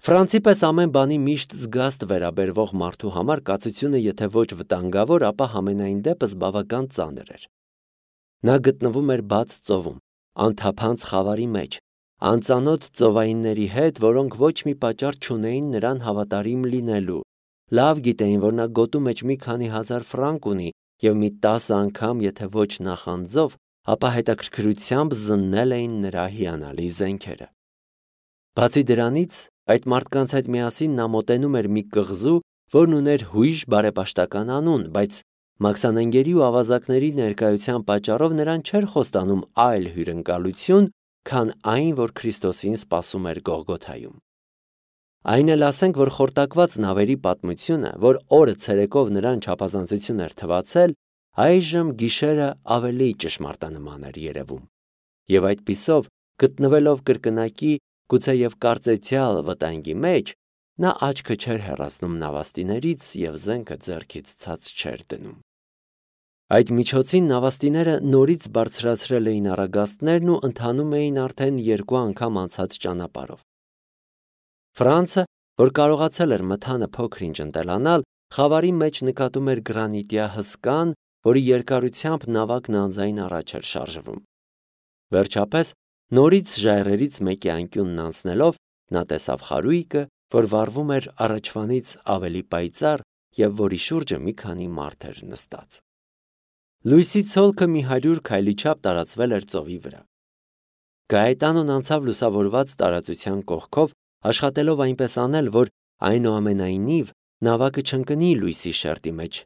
Ֆրանցի պես ամեն բանի միշտ զգաստ վերաբերվող մարդու համար կացությունը եթե ոչ վտանգավոր, ապա համենայն դեպս բավական ծանր էր։ Նա գտնվում էր բաց ծովում, անթափանց խավարի մեջ, անծանոթ ծովայինների հետ, որոնք ոչ մի պատճառ չունեին նրան հավատարիմ լինելու, լավ գիտեին, որ նա գոտու մեջ մի քանի հազար ֆրանկ ունի և մի 10 անգամ, եթե ոչ նախանձով, ապա հետաքրքրությամբ զննել էին նրա հիանալի զենքերը։ Բացի դրանից, այդ մարդկանց հետ միասին նա մոտենում էր մի կղզու, որն ուներ հույժ բարեպաշտական անուն, բայց մաքսանենգերի ու ավազակների ներկայության պատճառով նրան չէր խոստանում այլ հյուրընկալություն, քան այն, որ Քրիստոսին սպասում էր Գողգոթայում։ Այն էլ ասենք, որ խորտակված նավերի պատմությունը, որ օրը ցերեկով նրան չափազանցություն էր թվացել, այժմ գիշերը ավելի ճշմարտանման էր երևում։ Եվ այդպիսով, գտնվելով կրկնակի, գուցեև կարծեցյալ վտանգի մեջ, նա աչքը չէր հեռացնում նավաստիներից և զենքը ձեռքից ցած չէր դնում։ Այդ միջոցին նավաստիները նորից բարձրացրել էին առագաստներն ու ընթանում էին արդեն 2 անգամ անցած ճանապարհով։ Ֆրանցը, որ կարողացել էր մթանը փոքր-ինչ ընտելանալ, խավարի մեջ նկատում էր գրանիտյա հսկան, որի երկարությամբ նավակն անձայն առաջ էր շարժվում։ Վերջապես, նորից ժայռերից մեկի անկյունն անցնելով, նա տեսավ խարույկը, որ վառվում էր առաջվանից ավելի պայծառ և որի շուրջը մի քանի մարդ էր նստած։ Լույսի ցոլքը մի 100 քայլի չափ տարածվել էր ծովի վրա։ Գաետանոն անցավ լուսավորված տարածության կողքով, աշխատելով այնպես անել, որ այնուամենայնիվ նավակը չընկնի լույսի շերտի մեջ,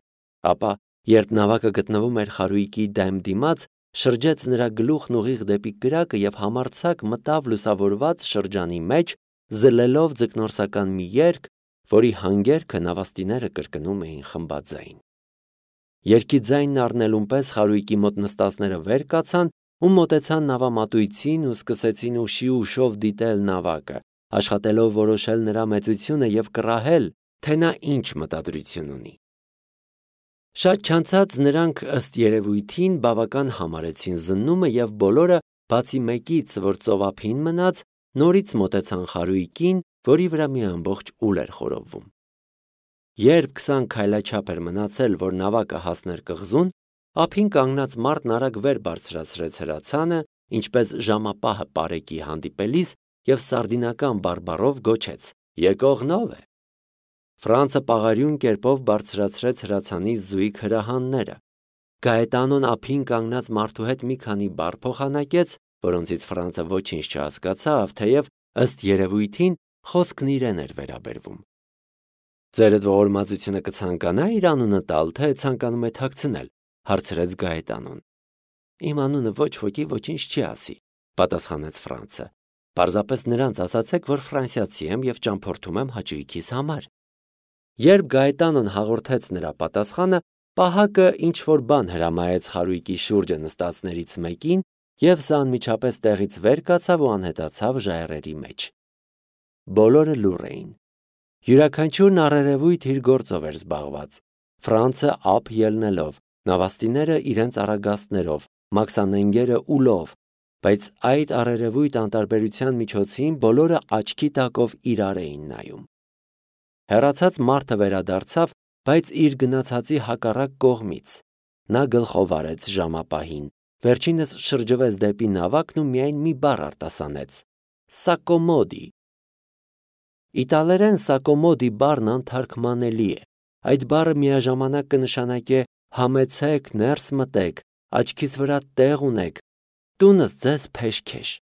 ապա, երբ նավակը գտնվում էր խարույկի դեմ դիմաց, շրջեց նրա գլուխն ուղիղ դեպի կրակը և համարձակ մտավ լուսավորված շրջանի մեջ, զլելով ձկնորսական մի երգ, որի հանգերքը նավաստիները կրկնում էին խմբաձայն։ Երգի ձայնն առնելուն պես խարույկի մոտ նստածները վեր կացան ու մոտեցան նավամատույցին ու սկսեցին ուշի ուշով դիտել նավակը, աշխատելով որոշել նրա մեծությունը և կռահել, թե նա ինչ մտադրություն ունի։ Շատ չանցած նրանք ըստ երևույթին բավական համարեցին զննումը և բոլորը, բացի մեկից, որ ծովափին մնաց, նորից մոտեցան խարույկին, որի վրա մի ամբողջ ուլ էր խորովվում։ Երբ 20 քայլաչափ էր մնացել, որ նավակը հասներ կղզուն, ափին կանգնած մարդն արագ վեր բարձրացրեց հրացանը, ինչպես ժամապահը պարեկի հանդիպելիս և սարդինական բարբառով գոչեց. «Եկողն ով է»։ Ֆրանցը պաղարյուն կերպով բարձրացրեց հրացանի զույգ հրահանները։ Գաետանոն ափին կանգնած մարդու հետ մի քանի բառ փոխանակեց, որոնցից Ֆրանցը ոչինչ չհասկացավ, թեև ըստ երևույթին խոսքն իրեն էր վերաբերվում։ «Ձերդ ողորմածությունը կցանկանա իր անունը տալ, թե ցանկանում է թաքցնել», հարցրեց Գաետանոն։ «Իմ անունը ոչ ոքի ոչինչ չի ասի», պատասխանեց Ֆրանցը։ «Պարզապես նրանց ասացեք, որ ֆրանսիացի եմ և ճամփորդում եմ հաճույքիս համար»։ Երբ Գաետանոն հաղորդեց նրա պատասխանը, պահակը ինչ-որ բան հրամայեց խարույկի շուրջը նստածներից մեկին, և սա անմիջապես տեղից վեր կացավ ու անհետացավ ժայռերի մեջ։ Բոլորը լուռ էին։ Յուրաքանչյուրն առերևույթ իր գործով էր զբաղված։ Ֆրանցը ափ ելնելով, նավաստիները իրենց առագաստներով, մաքսանենգերը ուլով, բայց այդ առերևույթ անտարբերության միջոցին բոլորը աչքի տակով իրար էին նայում։ Հեռացած մարդը վերադարձավ, բայց իր գնացածի հակառակ կողմից։ Նա գլխով արեց ժամապահին, վերջինս շրջվեց դեպի նավակն ու միայն մի բառ արտասանեց. «Սակոմոդի»։ Իտալերեն սակոմոդի բառն անթարգմանելի է։ Այդ բառը միաժամանակ կնշանակե համեցեք, ներս մտեք, աչքիս վրա տեղ ունեք, տունս ձեզ փեշքեշ։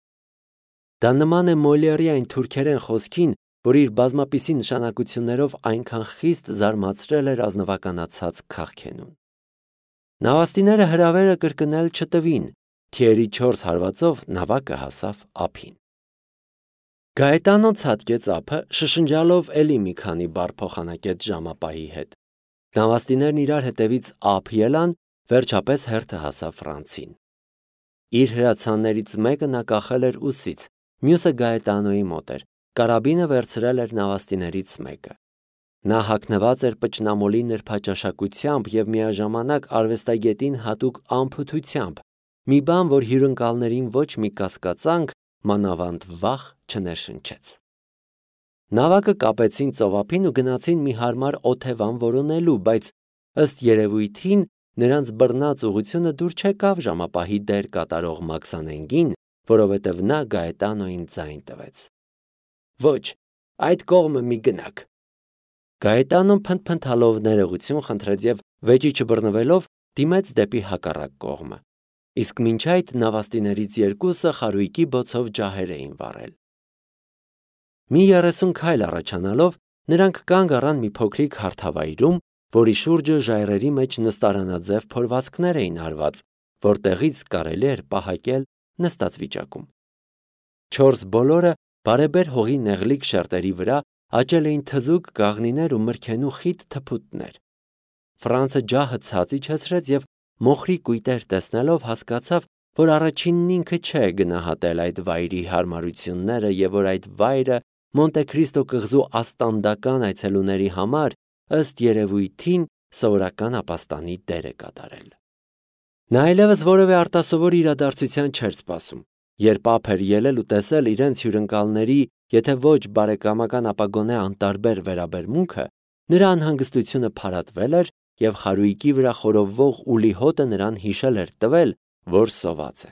Դա նման է Մոլիերի թուրքերեն խոսքին, որ իր բազմապիսի նշանակություններով այնքան խիստ զարմացրել էր ազնվականացած քաղքենուն։ Նավաստիները հրավերը կրկնել չտվին, թիերի 4 հարվածով նավակը հասավ ափին։ Գաետանոն ցատկեց ափը, շշնջալով էլի մի քանի բառ փոխանակեց ժամապահի հետ։ Նավաստիներն իրար հետևից ափ ելան, վերջապես հերթը հասավ Ֆրանցին։ Իր հրացաններից մեկը նա կախել էր ուսից, մյուսը Գաետանոյի մոտ էր, կարաբինը վերցրել էր նավաստիներից մեկը։ Նա հագնված էր պճնամոլի նրբաճաշակությամբ և միաժամանակ արվեստագետին հատուկ անփութությամբ, մի բան, որ հյուրընկալներին ոչ մի կասկածանք, մանավանդ վախ չներշնչեց։ Նավակը կապեցին ծովափին ու գնացին մի հարմար օթևան որոնելու, բայց ըստ երևույթին նրանց բռնած ուղությունը դուր չեկավ ժամապահի դեր կատարող Մաքսանենգին, որովհետև նա Գաետանոյին ձայն տվեց։ Ոչ, այդ կողմը մի գնաք։ Գաետանոն փնթփնթալով ներողություն խնդրեց եւ վեճի չբռնվելով դիմեց դեպի հակառակ կողմը։ Իսկ մինչ այդ նավաստիներից երկուսը խարույկի բոցով ջահեր էին վառել։ Մի 30 քայլ առաջանալով նրանք կանգ առան մի փոքրիկ հարթավայրում, որի շուրջը ժայռերի մեջ նստարանաձև փորվածքներ էին արված, որտեղից կարելի էր պահակել նստած վիճակում։ 4 բոլորը բարեբեր հողի նեղլիկ շերտերի վրա աճել էին թզուկ գաղնիներ ու մրգենու խիտ թփուտներ։ Ֆրանցը ջահը ցած իջեցրեց եւ մոխրի կույտեր տեսնելով հասկացավ, որ առաջինն ինքը չէ գնահատել այդ վայրի հարմարությունները եւ որ այդ վայրը Մոնտե Քրիստո կղզու աստանդական այցելուների համար ըստ երևույթին սովորական ապաստանի դեր է կատարել։ Նա այլևս որևէ արտասովոր իրադարձության չէր սպասում, երբ ափ էր ելել ու տեսել իրենց հյուրընկալների, եթե ոչ բարեկամական, ապա գոնե անտարբեր վերաբերմունքը, նրա անհանգստությունը փարատվել էր եւ խարույկի վրա խորովվող ուլի հոտը նրան հիշել էր տվել, որ սոված է։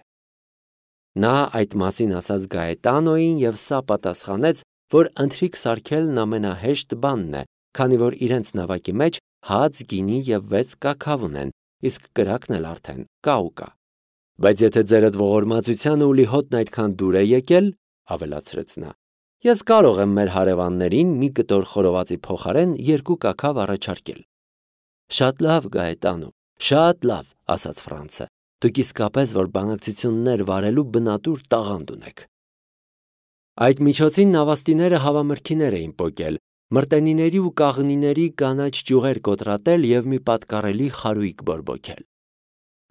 Նա այդ մասին ասաց Գաետանոյին եւ սա պատասխանեց, որ ընթրիք սարքելն ամենահեշտ բանն է, քանի որ իրենց նավակի մեջ հաց, գինի եւ 6 կաքավ ունեն, իսկ կրակն էլ արդեն կա ու կա։ Բայց եթե ձերդ ողորմածությանը ուլի հոտն այդքան դուր է եկել, ավելացրեց նա, ես կարող եմ մեր հարևաններին մի կտոր խորովածի փոխարեն 2 կաքավ առաջարկել։ Շատ լավ, Գաետանո, շատ լավ, ասաց Ֆրանցը։ Դուք իսկապես որ բանակցություններ վարելու բնատուր տաղանդ ունեք։ Այդ միջոցին նավաստիները հավամրգիներ էին պոկել, մրտենիների ու կաղնիների կանաչ ճյուղեր կոտրատել եւ մի պատկառելի խարույկ բորբոքել։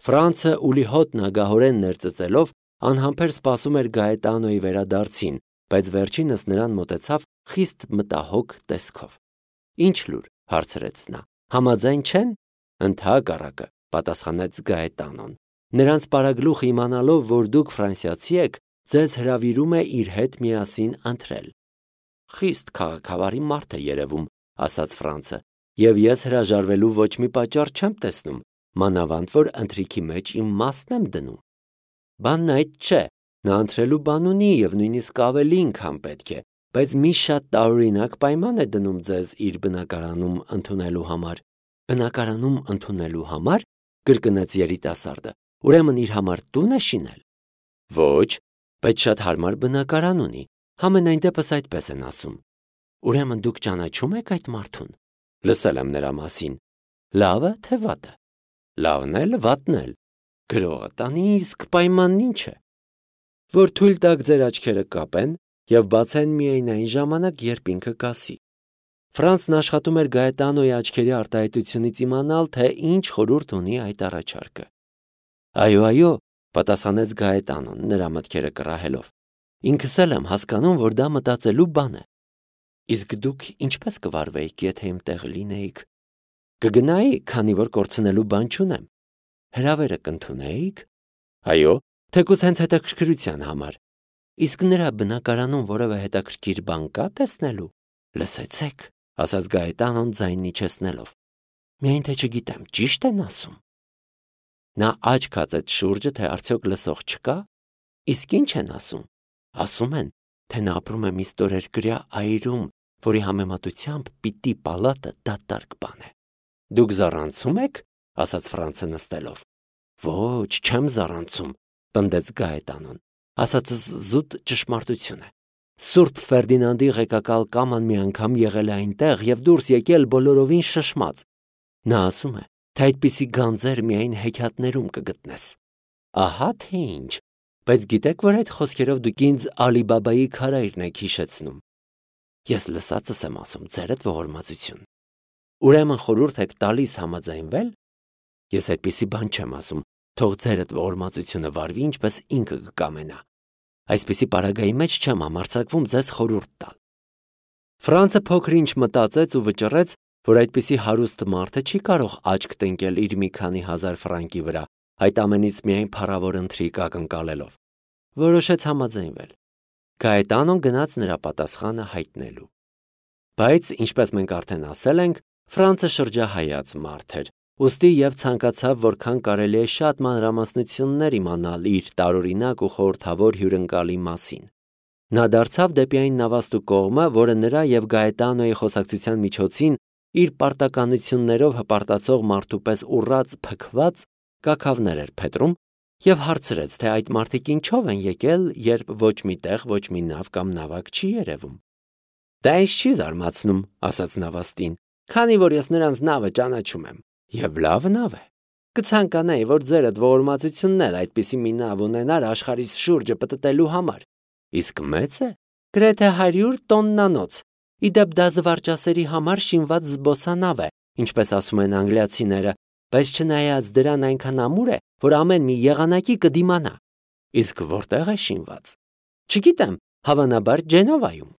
Ֆրանցը ուլի հոտն ագահորեն ներծծելով անհամբեր սպասում էր Գաետանոյի վերադարձին, բայց վերջինս նրան մոտեցավ խիստ մտահոգ տեսքով։ Ինչ լուր, հարցրեց նա։ Համաձայն չեն։ Ընդհակառակը, պատասխանեց Գաետանոն։ Նրանց պարագլուխ իմանալով, որ դուք ֆրանսիացի եք, ձեզ հրավիրում է իր հետ միասին ընթրել։ Խիստ քաղաքավարի մարդ է երևում, ասաց Ֆրանցը, եւ ես հրաժարվելու ոչ մի պատճառ չեմ տեսնում, մանավանդ որ ընթրիքի մեջ իմ մասն եմ դնում։ Բանն այդ չէ, նա ընթրելու բան ունի եւ նույնիսկ ավելին, քան պետք է, բայց մի շատ տարօրինակ պայման է դնում ձեզ իր բնակարանում ընդունելու համար։ Բնակարանում ընդունելու համար, կրկնեց երիտասարդը, ուրեմն իր համար տուն է շինել։ Ոչ, բայց շատ հարմար բնակարան ունի, համենայն դեպս այդպես են ասում։ Ուրեմն դուք ճանաչում եք այդ մարդուն։ Լսել եմ նրա մասին։ Լավը թե վատը։ Լավն էլ, վատն էլ։ Գրողը տանի, իսկ պայմանն ինչ է։ Որ թույլ տաք ձեր աչքերը կապեն եւ բացեն միայն այն ժամանակ, երբ ինքը կասի։ Ֆրանցն աշխատում էր Գաետանոյի աչքերի արտահայտությունից իմանալ, թե ինչ խորհուրդ ունի այդ առաջարկը։ Այո, պատասխանեց Գաետանոն, նրա մտքերը կռահելով։ Ինքս էլ եմ հասկանում, որ դա մտածելու բան է։ Իսկ դուք ինչպես կվարվեիք, եթե իմ տեղ լինեիք։ Կգնայի, քանի որ կորցնելու բան չունեմ։ Հրավերը կընդունեիք։ Այո, թեկուզ հենց հետաքրքրության համար։ Իսկ նրա բնակարանում որևէ հետաքրքիր բան կա տեսնելու։ Լսեցեք, ասաց Գաետանոն ձայնն իջեցնելով։ Միայն թե չգիտեմ, ճիշտ են ասում։ Նա աչք հացեց շուրջը, թե արդյոք լսող չկա։ Իսկ ինչ են ասում։ Ասում են, թե նա ապրում է մի ստորերկրյա այրում, որի համեմատությամբ պիտի պալատը դատարկ բան է։ Դուք զառանցում եք, ասաց Ֆրանցը նստելով։ Ոչ, չեմ զառանցում, պնդեց Գաետանոն։ Ասածս զուտ ճշմարտություն է։ Սուրբ Ֆերդինանդի ղեկակալ կաման մի անգամ եղել է այնտեղ եւ դուրս եկել բոլորովին շշմած։ Նա ասում է, թե այդպիսի գանձեր միայն հեքիաթներում կգտնես։ Ահա թե ինչ, բայց գիտեք, որ այդ խոսքերով դուք ինձ Ալի-Բաբայի քարայրն եք հիշեցնում։ Ես լսածս եմ ասում, ձերդ ողորմածություն։ Ուրեմն խորհուրդ եք տալիս համաձայնվել։ Ես այդպիսի բան չեմ ասում, թող ձերդ ողորմածությունը վարվի, ինչպես ինքը կկամենա։ Այսպիսի պարագայի մեջ չեմ համարձակվում ձեզ խորհուրդ տալ։ Ֆրանցը փոքր-ինչ մտածեց ու վճռեց, որ այդպիսի հարուստ մարդը չի կարող աչք տնկել իր մի քանի հազար ֆրանկի վրա, այդ ամենից միայն փառավոր ընթրիք ակնկալելով։ Որոշեց համաձայնվել։ Գաետանոն գնաց նրա պատասխանը հայտնելու։ Բայց, ինչպես մենք արդեն ասել ենք, Ֆրանցը շրջահայաց մարդ էր, ուստի եւ ցանկացավ որքան կարելի է շատ մանրամասնություններ իմանալ իր տարօրինակ ու խորհրդավոր հյուրընկալի մասին։ Նա դարձավ դեպի այն նավաստու կողմը, որը նրա եւ Գաետանոյի խոսակցության միջոցին իր պարտականություններով հպարտացող մարդու պես ուռած փքված կաքավներ էր փետրում եւ հարցրեց, թե այդ մարդիկ ինչով են եկել, երբ ոչ մի տեղ ոչ մի նավ կամ նավակ չի երևում։ Դա ինձ չի զարմացնում, ասաց նավաստին, քանի որ ես նրանց նավը ճանաչում եմ, եւ լավ նավ է։ Կցանկանայի, որ ձերդ ողորմածությունն էլ այդպիսի մի նավ ունենար աշխարհի շուրջը պտտելու համար։ Իսկ մեծ է, գրեթե 100 տոննանոց։ Իդեպ դա զվարճասերի համար շինված զբոսանավ է, ինչպես ասում են անգլիացիները, բայց չնայած դրան այնքան ամուր է, որ ամեն մի եղանակի կդիմանա։ Իսկ որտեղ է շինված։ Չգիտեմ, հավանաբար Ջենովայում։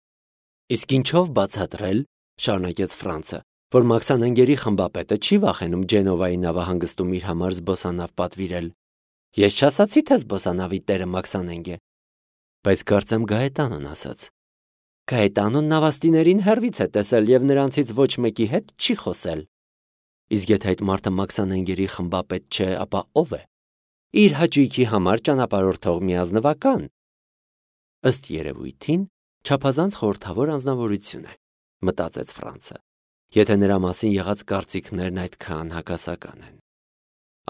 Իսկ ինչով բացատրել, շարունակեց Ֆրանցը, որ մաքսանենգերի խմբապետը չի վախենում Ջենովայի նավահանգստում իր համար զբոսանավ պատվիրել։ Ես չասացի, թե զբոսանավի տերը մաքսանենգ է։ Բայց կարծեմ Գաետանոն ասաց։ Գաետանոն նավաստիներին հեռվից է տեսել եւ նրանցից ոչ մեկի հետ չի խոսել։ Իսկ եթե այդ մարդը մաքսանենգերի խմբապետ չէ, ապա ով է։ Իր հաճույքի համար ճանապարհորդող մի ազնվական։ Ըստ երևույթին, չափազանց խորհրդավոր անձնավորություն է, մտածեց Ֆրանցը, եթե նրա մասին եղած կարծիքներն այդքան հակասական են։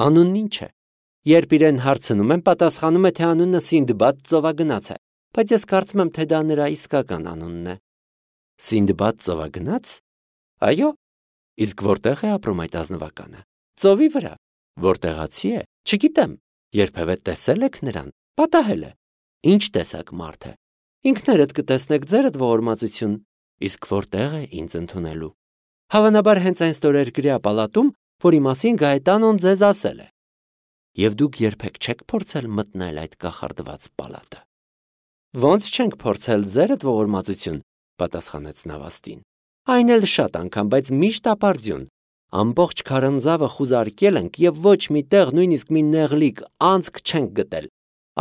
Անունն ինչ է։ Երբ իրեն հարցնում են, պատասխանում է, թե անունը Սինդբադ ծովագնաց է, բայց ես կարծում եմ, թե դա նրա իսկական անունն է։ Սինդբադ ծովագնաց։ Այո։ Իսկ որտեղ է ապրում այդ ազնվականը։ Ծովի վրա։ Որտեղացի է։ Չգիտեմ։ Երբևէ տեսել եք նրան։ Պատահել է։ Ինչ տեսակ մարդ է։ Ինքներդ կտեսնեք ձերդ ողորմածություն։ Իսկ որտեղ է ինձ ընդունելու։ Հավանաբար հենց այն ստորերկրյա պալատում, որի մասին Գաետանոն ձեզ ասել է։ Եվ դուք երբեք չեք փորձել մտնել այդ կախարդված պալատը։ Ոնց չենք փորձել ձերդ ողորմածություն, պատասխանեց նավաստին։ Այն էլ շատ անգամ, բայց միշտ ապարդյուն։ Ամբողջ քարանձավը խուզարկել ենք եւ ոչ մի տեղ նույնիսկ մի նեղլիկ անցք չենք գտել։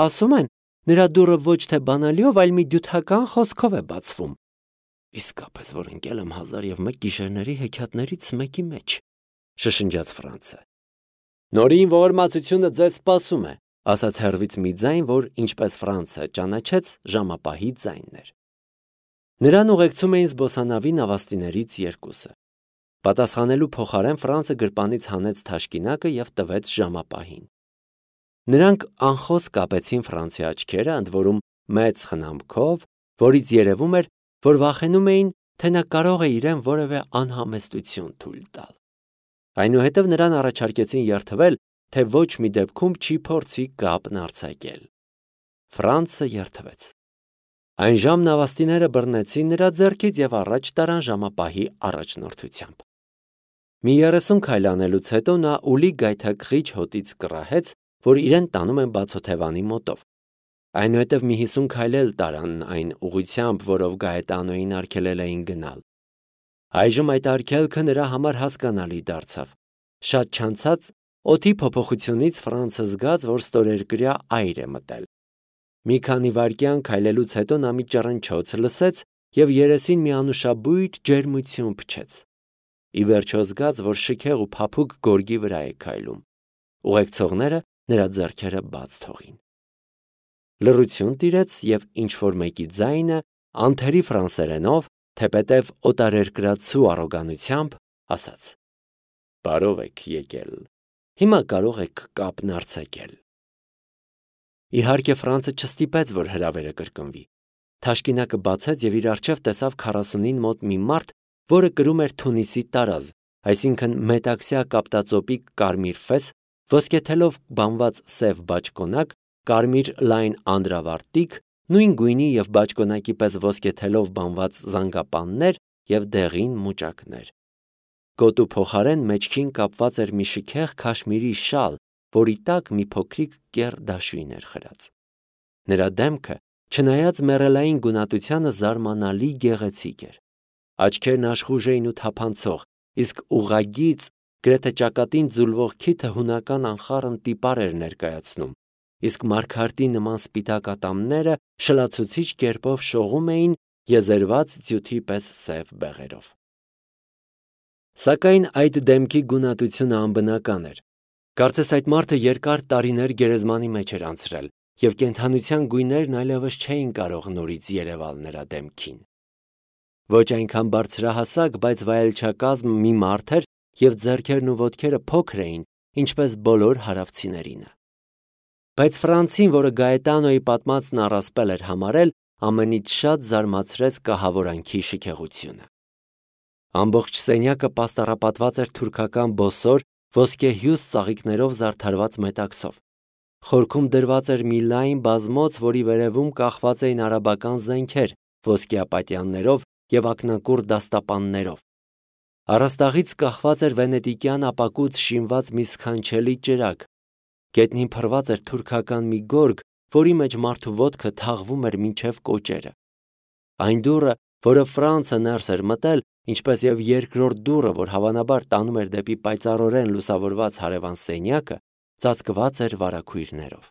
Ասում են, նրա դուռը ոչ թե բանալիով, այլ մի դյութական խոսքով է բացվում։ Իսկապես որ ընկել եմ 1001 գիշերների հեքիաթներից մեկի մեջ, շշնջաց Ֆրանցը։ Նորին ողորմածությունը ձեզ սպասում է, ասաց հեռվից մի ձայն, որ ինչպես Ֆրանցը ճանաչեց, ժամապահի ձայնն էր։ Նրան ուղեկցում էին զբոսանավի նավաստիներից երկուսը։ Պատասխանելու փոխարեն Ֆրանցը գրպանից հանեց թաշկինակը եւ տվեց ժամապահին։ Նրանք անխոս կապեցին Ֆրանցի աչքերը, ընդ որում մեծ խնամքով, որից երևում էր, որ վախենում էին, թե նա կարող է իրեն որևէ անհամեստություն թույլ տալ։ Այնուհետև նրան առաջարկեցին երթվել, թե ոչ մի դեպքում չի փորձի կապն արձակել։ Ֆրանցը երթվեց։ Այն ժամ նավաստիները բռնեցին նրա ձեռքից եւ առաջ տարան ժամապահի առաջնորդությամբ։ Մի 30 քայլ անելուց հետո նա ուլի գայթակղիչ հոտից կռահեց, որ իրեն տանում են բացօթևանի մոտով։ Այնուհետև մի 50 քայլ էլ տարան այն ուղությամբ, որով Գաետանոյին արգելել էին գնալ։ Այժմ այդ արգելքը նրա համար հասկանալի դարձավ։ Շատ չանցած օդի փոփոխությունից Ֆրանցը զգաց, որ ստորերկրյա այր է մտել։ Մի քանի վայրկյան քայլելուց հետո նա մի ճռնչոց լսեց եւ երեսին մի անուշաբույր ջերմություն փչեց։ Ի վերջո զգաց, որ շքեղ ու փափուկ գորգի վրա է քայլում։ Ուղեկցողները նրա ձեռքերը բաց թողին։ Լռություն տիրեց եւ ինչ-որ մեկի ձայնը անթերի ֆրանսերենով, թեպետև օտարերկրացու առոգանությամբ ասաց. Բարով եք եկել։ Հիմա կարող եք կապն արձակել։ Իհարկե Ֆրանցը չստիպեց, որ հրավերը կրկնվի։ Թաշկինակը բացեց եւ իր առջև տեսավ 40-ին մոտ մի մարդ, որը կրում էր Թունիսի տարազ, այսինքն մետաքսյա կապտածոպի կարմիր ֆես, ոսկեթելով բանված սև բաճկոնակ, կարմիր լայն անդրավարտիք, նույն գույնի եւ բաճկոնակի պես ոսկեթելով բանված զանգապաններ եւ դեղին մուճակներ։ Գոտու փոխարեն մեջքին կապված էր մի շքեղ քաշմիրի շալ, որի տակ մի փոքրիկ կեռ դաշույն էր խրած։ Նրա դեմքը, չնայած մեռելային գունատությանը, զարմանալի գեղեցիկ էր։ Աչքերն աշխուժ էին ու թափանցող, իսկ ուղղագիծ, գրեթե ճակատին ձուլվող քիթը հունական անխառն տիպար էր ներկայացնում, իսկ մարգարտի նման սպիտակ ատամները շլացուցիչ կերպով շողում էին եզերված ձյութի պես սև բեղերով։ Սակայն այդ դեմքի գունատությունը անբնական էր։ Կարծես այդ մարդը երկար տարիներ գերեզմանի մեջ էր անցրել, և կենդանության գույներն այլևս չէին կարող նորից երևալ նրա դեմքին։ Ոչ այնքան բարձրահասակ, բայց վայելչակազմ մի մարդ էր, և ձեռքերն ու ոտքերը փոքր էին, ինչպես բոլոր հարավցիներինը։ Բայց Ֆրանցին, որը Գաետանոյի պատմածն առասպել էր համարել, ամենից շատ զարմացրեց կահավորանքի շքեղությունը։ Ամբողջ սենյակը պաստառապատված էր թուրքական բոսոր, ոսկեհյուս ծաղիկներով զարդարված մետաքսով։ Խորքում դրված էր մի լայն բազմոց, որի վերևում կախված էին արաբական զենքեր, ոսկեապատյաններով և ակնակուռ դաստապաններով։ Առաստաղից կախված էր վենետիկյան ապակուց շինված մի սքանչելի ճրագ։ Գետնին փռված էր թուրքական մի գորգ, որի մեջ մարդու ոտքը թաղվում էր մինչև կոճերը։ Այն դուռը, որը Ֆրանցը ներս էր մտել, ինչպես և երկրորդ դուռը, որ հավանաբար տանում էր դեպի պայծառորեն լուսավորված հարևան սենյակը, ծածկված էր վարագույրներով։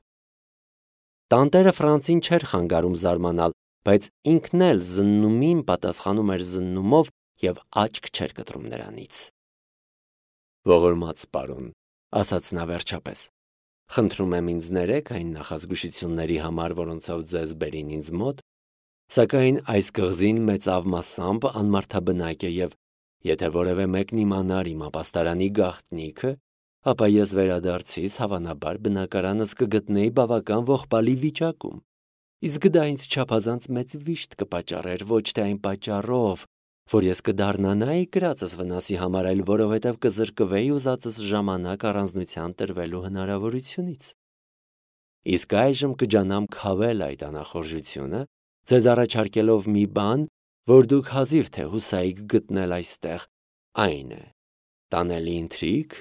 Տանտերը Ֆրանցին չէր խանգարում զարմանալ, բայց ինքն էլ զննումին պատասխանում էր զննումով և աչք չէր կտրում նրանից։ «Ողորմած պարոն», ասաց նա վերջապես, «խնդրում եմ ինձ ներեք այն նախազգուշությունների համար, որոնցով ձեզ բերին ինձ մոտ, սակայն այս կղզին մեծավ մասամբ անմարդաբնակ է և եթե որևէ մեկն իմանար իմ ապաստարանի գաղտնիքը, ապա ես վերադարձիս հավանաբար բնակարանս կգտնեի բավական ողբալի վիճակում, իսկ դա ինձ չափազանց մեծ վիշտ կպատճառեր ոչ թե այն պատճառով, որ ես կդառնանայի կրածս վնասի համար, այլ որովհետև կզրկվեի ուզածս ժամանակ առանձնության տրվելու հնարավորությունից։ Իսկ այժմ կջանամ քավել այդ անախորժությունը, ձեզ առաջարկելով մի բան, որ դուք հազիվ թե հուսայիք գտնել այստեղ, այն է, տանելի ինտրիգ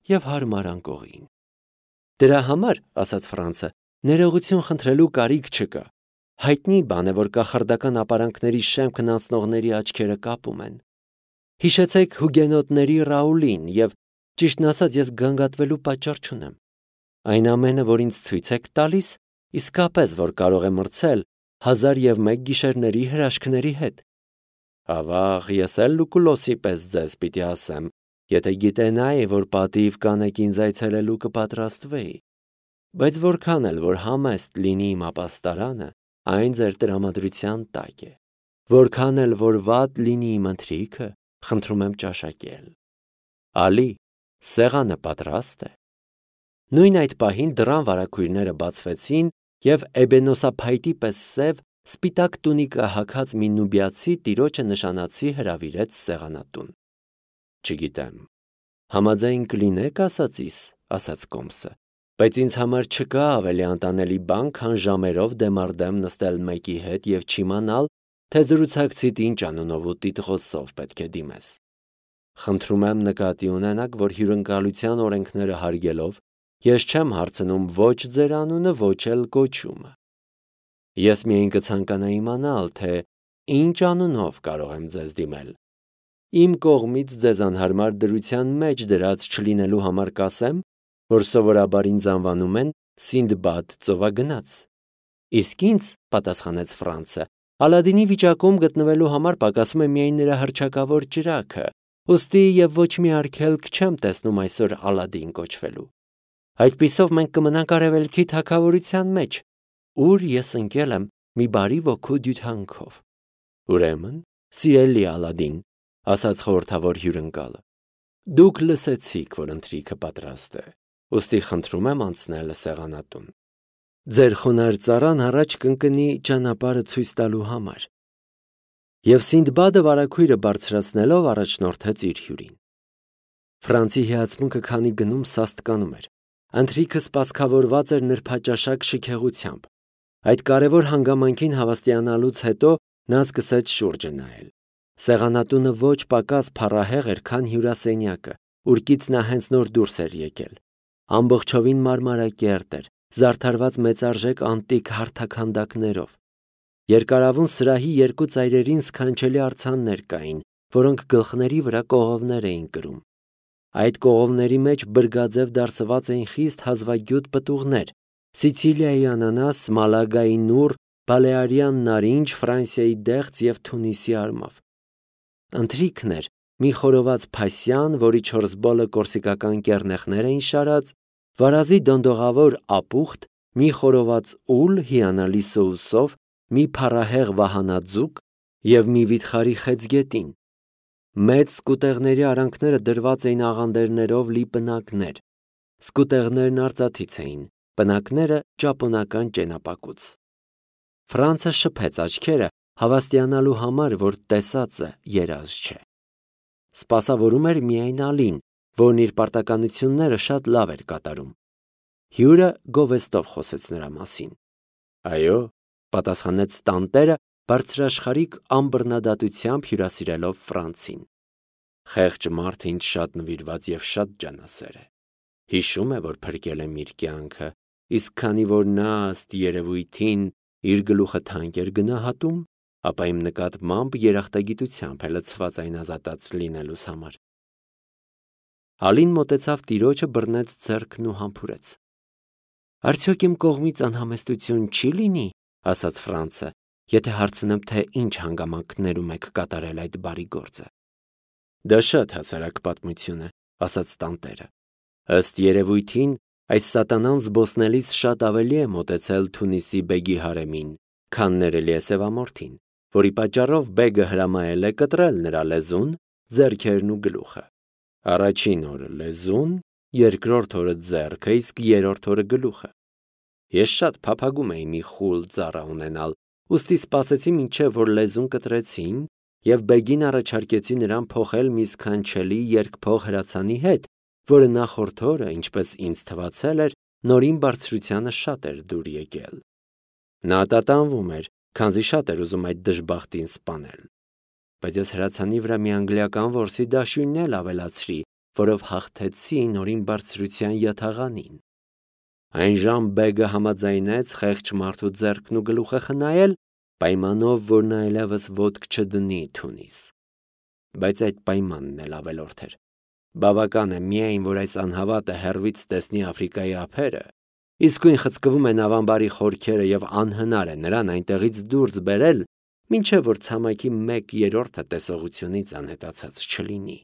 և հարմար անկողին։ Դրա համար, ասաց Ֆրանցը, ներողություն խնդրելու կարիք չկա։ Հայտնի բան է, որ կախարդական ապարանքների շեմքն անցնողների աչքերը կապում են։ Հիշեցեք հուգենոտների Ռաուլին և, ճիշտն ասած, ես գանգատվելու պատճառ չունեմ։ Այն ամենը, որ ինձ ցույց եք տալիս, իսկապես որ կարող է մրցել 1001 գիշերների հրաշքների հետ։ Ավաղ, ես էլ Լուկուլոսի պես ձեզ պիտի ասեմ, եթե գիտենայի, որ պատիվ կանեք ինձ այցելելու կպատրաստվեի։ Բայց որքան էլ որ համեստ լինի իմ ապաստարանը, այն ձեր տրամադրության տակ է։ Որքան էլ որ վատ լինի իմ ընթրիքը, խնդրում եմ ճաշակել։ Ալի, սեղանը պատրաստ է։ Նույն այդ պահին դռան վարագույրները բացվեցին, և էբենոսափայտի պես սև, սպիտակ տունիկա հագած մի նուբիացի տիրոջը նշանացի հրավիրեց սեղանատուն։ Չգիտեմ, համաձայն կլինեք ասածիս, ասաց Կոմսը, բայց ինձ համար չկա ավելի անտանելի բան, քան ժամերով դեմ առ դեմ նստել մեկի հետ և չիմանալ, թե զրուցակցիդ ինչ անունով ու տիտղոսով պետք է դիմես։ Խնդրում եմ նկատի ունենաք, որ հյուրընկալության օրենքները հարգելով, ես չեմ հարցնում ոչ ձեր անունը, ոչ էլ կոչումը։ Ես միայն կցանկանայի իմանալ, թե ինչ անունով կարող եմ ձեզ դիմել։ Իմ կողմից ձեզ անհարմար դրության մեջ դրած չլինելու համար կասեմ, որ սովորաբար ինձ անվանում են Սինդբադ ծովագնաց։ Իսկ ինձ, պատասխանեց Ֆրանցը, Ալադինի վիճակում գտնվելու համար պակասում է միայն նրա հռչակավոր ճրագը, ուստի և ոչ մի արգելք չեմ տեսնում այսօր Ալադին կոչվելու։ Այդպիսով մենք կմնանք արևելքի թագավորության մեջ, ուր ես ընկել եմ մի բարի ոգու դյութանքով։ Ուրեմն, սիրելի Ալադին, ասաց խորհրդավոր հյուրընկալը, դուք լսեցիք, որ ընթրիքը պատրաստ է, ուստի խնդրում եմ անցնել սեղանատուն։ Ձեր խոնարհ ծառան առաջ կընկնի ճանապարհը ցույց տալու համար։ Եվ Սինդբադը վարագույրը բարձրացնելով առաջնորդեց իր հյուրին։ Ֆրանցի հիացմունքը քանի գնում սաստկանում էր։ Ընթրիքը սպասքավորված էր նրբաճաշակ շքեղությամբ։ Այդ կարևոր հանգամանքին հավաստիանալուց հետո նա սկսեց շուրջը նայել։ Սեղանատունը ոչ պակաս փառահեղ էր, քան հյուրասենյակը, ուր նա հենց նոր դուրս էր եկել։ Ամբողջովին մարմարակերտ էր, զարդարված մեծարժեք անտիկ հարթաքանդակներով։ Երկարավուն սրահի երկու ծայրերին սքանչելի արձաններ կային, որոնք գլխների վրա կողովներ էին կրում։ Այդ կողովների մեջ բրգաձև դարսված էին խիստ հազվագյուտ պտուղներ՝ Սիցիլիայի անանաս, Մալագայի նուռ, Բալեարյան նարինջ, Ֆրանսիայի դեղց և Թունիսի արմավ։ Ընթրիքն էր մի խորոված փասյան, որի 4 բոլը կորսիկական կեռնեխներ էին շարած, վարազի դոնդողավոր ապուխտ, մի խորոված ուլ հիանալի սոուսով, մի փառահեղ վահանաձուկ և մի վիթխարի խեցգետին։ Մեծ սկուտեղների արանքները դրված էին աղանդերներով լի պնակներ։ Սկուտեղներն արծաթից էին, պնակները ճապոնական ճենապակուց։ Ֆրանցը շփեց աչքերը, հավաստիանալու համար, որ տեսածը երազ չէ։ Սպասավորում էր միայն Ալին, որն իր պարտականությունները շատ լավ էր կատարում։ Հյուրը գովեստով խոսեց նրա մասին։ Այո, պատասխանեց տանտերը, բարձրաշխարհիկ ամբռնադատությամբ հյուրասիրելով Ֆրանցին։ Խեղճ մարդը ինձ շատ նվիրված և շատ ջանասեր է։ Հիշում է, որ փրկել եմ իր կյանքը, իսկ քանի որ նա ըստ երևույթին իր գլուխը թանկ էր գնահատում, ապա իմ նկատմամբ երախտագիտությամբ է լցված այն ազատած լինելուս համար։ Ալին մոտեցավ տիրոջը, բռնեց ձեռքն ու համբուրեց։ Արդյոք իմ կողմից անհամեստություն չի լինի, ասաց Ֆրանցը, եթե հարցնեմ, թե ինչ հանգամանքներում եք կատարել այդ բարի գործը։ Դա շատ հասարակ պատմություն է, ասաց տանտերը։ Ըստ երևույթին, այս սատանան զբոսնելիս շատ ավելի է մոտեցել Թունիսի բեգի հարեմին, քան ներելի է սևամորթին, որի պատճառով բեգը հրամայել է կտրել նրա լեզուն, ձեռքերն ու գլուխը։ Առաջին օրը լեզուն, երկրորդ օրը ձեռքը, իսկ երրորդ օրը գլուխը։ Ես շատ փափագում էի մի խուլ ծառա ունենալ, ուստի սպասեցի մինչև որ լեզուն կտրեցին և բեգին առաջարկեցի նրան փոխել մի սքանչելի երկփող հրացանի հետ, որը նախորդ օրը, ինչպես ինձ թվացել էր, նորին բարձրությանը շատ էր դուր եկել։ Նա տատանվում էր, քանզի շատ էր ուզում այդ դժբախտին սպանել։ Բայց ես հրացանի վրա մի անգլիական որսի դաշույնն էլ ավելացրի, որով հաղթեցի նորին բարձրության յաթաղանին։ Այնժամ բեգը համաձայնեց խեղճ մարդու ձեռքն ու գլուխը խնայել, պայմանով, որ նա այլևս ոտք չդնի Թունիս։ Բայց այդ պայմանն էլ ավելորդ էր։ Բավական է միայն, որ այս անհավատը հեռվից տեսնի Աֆրիկայի ափերը, իսկույն խցկվում են ավանբարի խորքերը և անհնար է նրան այնտեղից դուրս բերել, մինչև որ ցամաքի 1/3-ը տեսողությունից անհետացած չլինի։